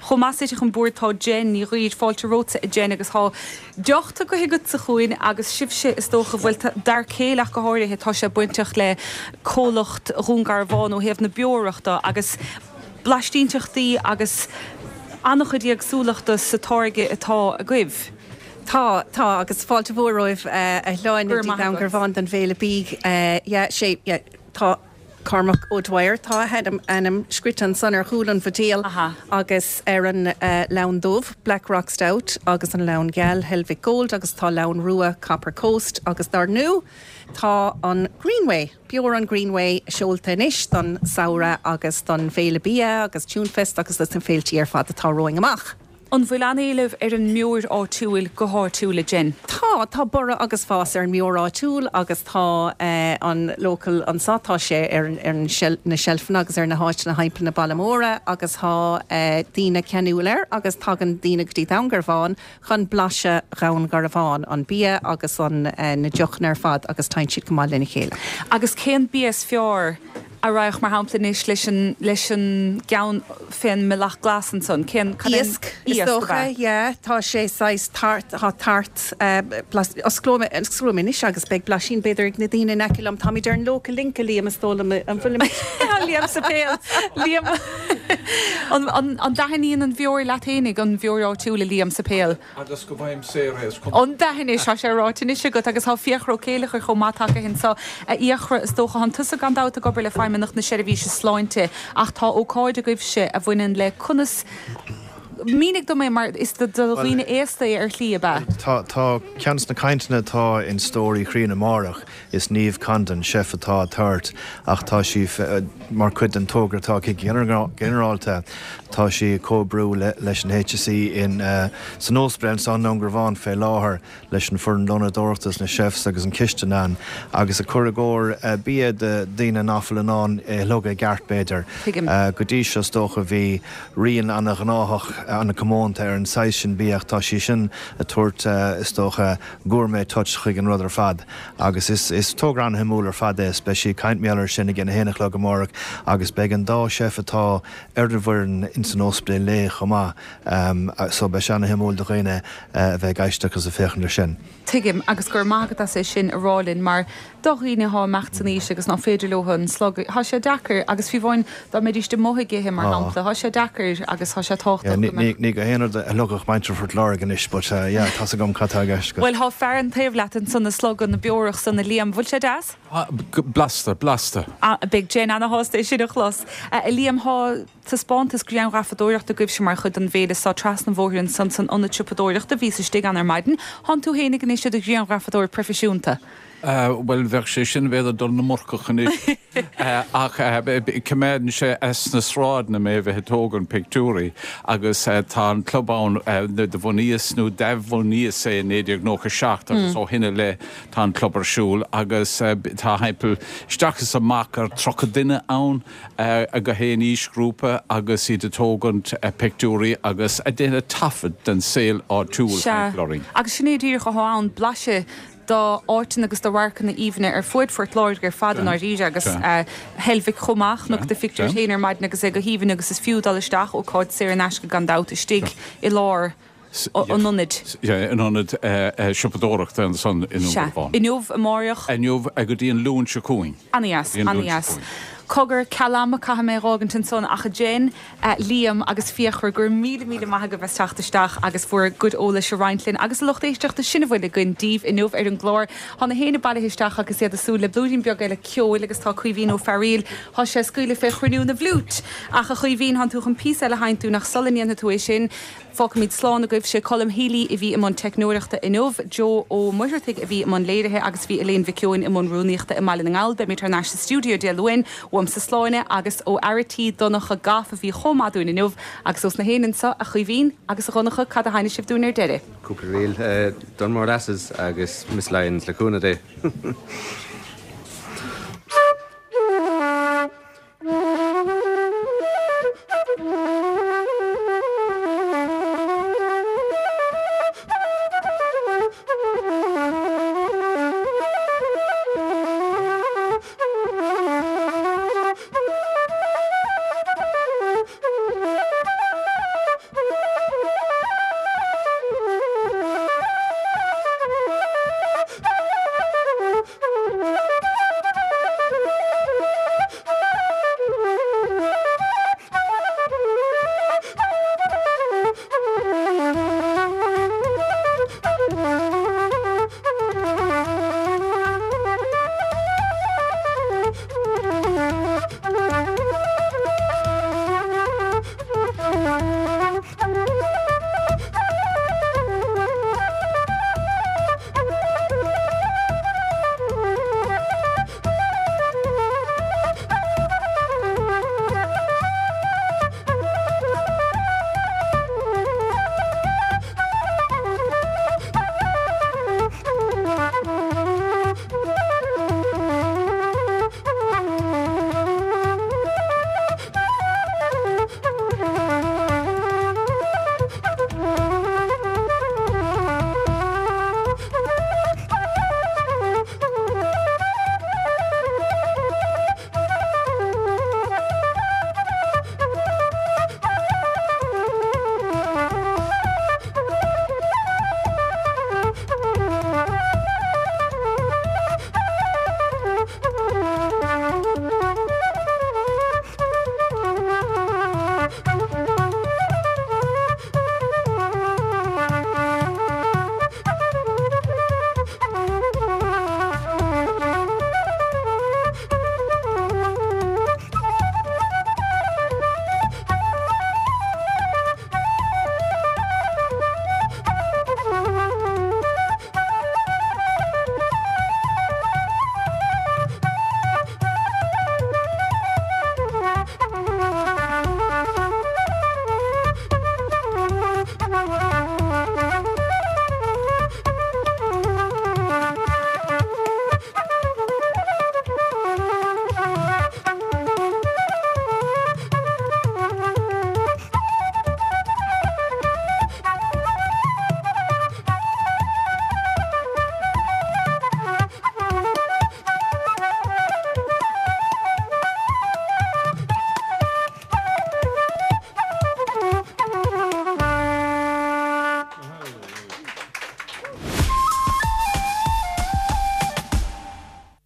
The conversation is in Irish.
Chomh maith suite chun boird tá Jen Ní Ghuidhir. Fáilte romhatsa a Jen agus tá deoch tugtha agatsa chugainn agus sibhse is dócha, bhuel d'fhear céile ach go háirithe, tá sé bainteach le comhlacht Dhún Garbhán ó thaobh na beorach de agus blaistínteachtaí agus an-chuid éagsúlachta sa táirge atá agaibh. Tá, tá, agus fáilte mhór romhaibh a Shláine Go raibh dtí maith Dún agat. Garbhán don Bhféile Bídh. Yeah, sé, yeah, tá Cormac O'Dwyer, tá a hainm, ainm scrite ansan ar chúl an bhuidéil Aha. agus ar an leann dubh, Black Rock Stout, agus an leann geal, Helvick Gold, agus tá leann rua, Copper Coast, agus dar ndú tá an Greenway, Beoir an Greenway seolta anois don samhradh agus don Bhféile Bia agus Tunefest agus dos na féiltí ar fad atá romhainn amach. An bhfuil an-éileamh ar an mbeoir áitiúil go háitiúil, a Jen? Tá, tá borradh agus fás ar an mbeoir áitiúil agus tá an local anso, tá sé ar na seilfeanna agus ar na háiteanna thimpeall na baile móra agus tá daoine ceanúil air agus tagann daoine go dtí Dún Garbhán chun blaiseadh Dhún Garbhán, an bia agus an na deochanna ar fad agus téann siad go maith lena chéile. Agus cén bia is fearr a raghadh, mar shampla, anois leis an, leis an gceann fén mbealach glas ansan? Cén, cad é an, Iasc, is iasc, ab dócha, ea? yeah. Tá sé saghas tart, tá tart, eh, blas, osclóidh mé, osclóidh mé anois agus beidh blaisín b'fhéidir ag na daoine in aice liom. Táimid ar an Local Link, a Liam, is dóigh liom, an bhfuilimid? Tá Liam Sáipéal, Liam, an, an, an dtaitníonn an bheoir leat fhéinig, an bheoir áitiúil, a Liam Sáipéal? Agus go bhfaighim saor é, is cuma. An dtaitníonn, tá sé ráite anois agat agus tá Fiachra Ó Céileachair chomh maith tagtha anso. A Fhiachra, is dócha, thánn tusa gan dabht ag obair le Feidhmeannacht na Seirbhíse Sláinte ach tá ócáid agaibhse a bhaineann le conas, mínigh dom é mar is do dhaoine aosta é ar shlí, ab ea? Tá, tá ceann de na cainteanna atá in Stór Uí Chriain amárach. Is Niamh Condon, chef atá á tabhairt ach tá sí mar chuid den togra atá aici go ginearálta. Tá sí ag comhoibriú leis an HSE in san ospidéal anso i nDún Garbhán fé láthair leis an foireann lónadóireachta is na chefs agus an chistin ann agus ag cur i gcomhair bia do daoine ná fuil in ann é a shlogadh i gceart b'fhéidir. Tuigim. Go dtí seo is dócha bhí rian ana-ghnáthach ana-comónta ar an saghas sin bia ach tá sí sin ag tabhairt is dócha gourmet touch chuig an rud ar fad agus is is togra an-shuimiúil ar fad é is beidh sí ag caint mar gheall air sin ag an 1 a chlog amárach agus beidh an dá chef atá ar an bhfoireann ins an ospidéal léi chomh maith so beidh sé an-shuimiúil do dhaoine a bheith ag éisteacht agus ag féachaint ar sin. Tuigim agus go raibh maith agat as é sin a rá linn mar do dhaoine athá ag imeacht san aois agus ná féidir leo an slogadh, thá sé deacair agus fiú amháin dá mbeidíst amuigh ag ithe mar shampla, thá sé deacair agus thá sé tábhachtach go mbeadh. Ní gach aon rud a shlogfadh muintir Phort Láirge anois but yeah tá's agam cad tá i gceist agat. Bhuel thá fear an taobh leat ansan ag slogadh na beorach san a Liam, bhfuil sé deas? Blasta, blasta. Beidh Jen ana-shásta é sin a chlos. A Liam, thá. Taispeántas grianghrafadóireachta agaibhse mar chuid den bhféile so trasna an bhóthair ansan san ionad siopadóireachta. Bhíos istigh ann ar maidin. Thánn tú fhéinig anois i do ghrianghrafadóir proifisiúnta. Bhuel, bheadh sé sin b'fhéidir dul na mburcach anois. Ach coimeádann sé as na sráideanna mé a bheith ag tógaint pictiúirí agus tá an club ann, do bhunaíos nó d'athbhunaíos é i 1997 agus ó shin i leith tá an club ar siúl agus tá thimpeall isteach is amach ar 30 duine ann. ag gach aon aoisghrúpa agus iad ag tógaint pictiúirí agus ag déanamh taifead den saol áitiúil Sea, thimpeall orainn. agus sin é díreach athá ann, blaiseadh d'áiteanna agus de radharcanna aoibhne ar fuaid Phort Láirge ar fad i ndáiríre agus Heilbhic chomh maith, chonac do phictiúr féin ar maidin agus é go haoibhinn agus is fiú dul isteach, ócáid saor in aisce gan dabht, istigh i lár an ionaid. An ionad siopadóireachta ansan i nDún Sea. Garbhán. Inniu, amáireach. Inniu, go dtí an Luan seo chugainn. Ana-dheas, ana-dheas. Cogar, ceal ama caithfidh mé a dh'fhágaint ansan ach a Jen, Liam agus Fiachra, go raibh míle, míle maith agaibh as teacht isteach agus bhur gcuid eolais a roinnt linn agus a lucht éisteachta sin a bhfuil againn daoibh inniu ar an gclár. Tá na héinne bailithe isteach agus iad ag súil le blúirín beag eile ceoil agus tá Caoimhín Ó Fearaíl, Thá sé ag scaoileadh fé chruinniú na bhfliúit! Ach a Chaoimhín, thánn tú chun píosa eile a sheinnt dúinn ach sula ndéanfaidh tú é sin, Fágfaimid slán agaibh. Sé Colm Healy a bhí i mbun teicneoireachta inniu, Joe Ó Muircheartaigh a bhí i mbun léirithe agus bhí Elaine Mhic Eoin i mbun rúnaíochta i mBaile na nGall. Beimid thar n-ais sa stiúideo Dé Luain. Uaimse Sláine agus ó fhear a' tí Donncha Goff a bhí chomh maith dúinn inniu agus ós na héinne anso, a Chaoimhín agus a Dhonncha, cad a sheinnfidh sibh dúinn ar deireadh? Cúpla ríl, Dunmore Lasses agus Miss Lyons le cúnamh Dé.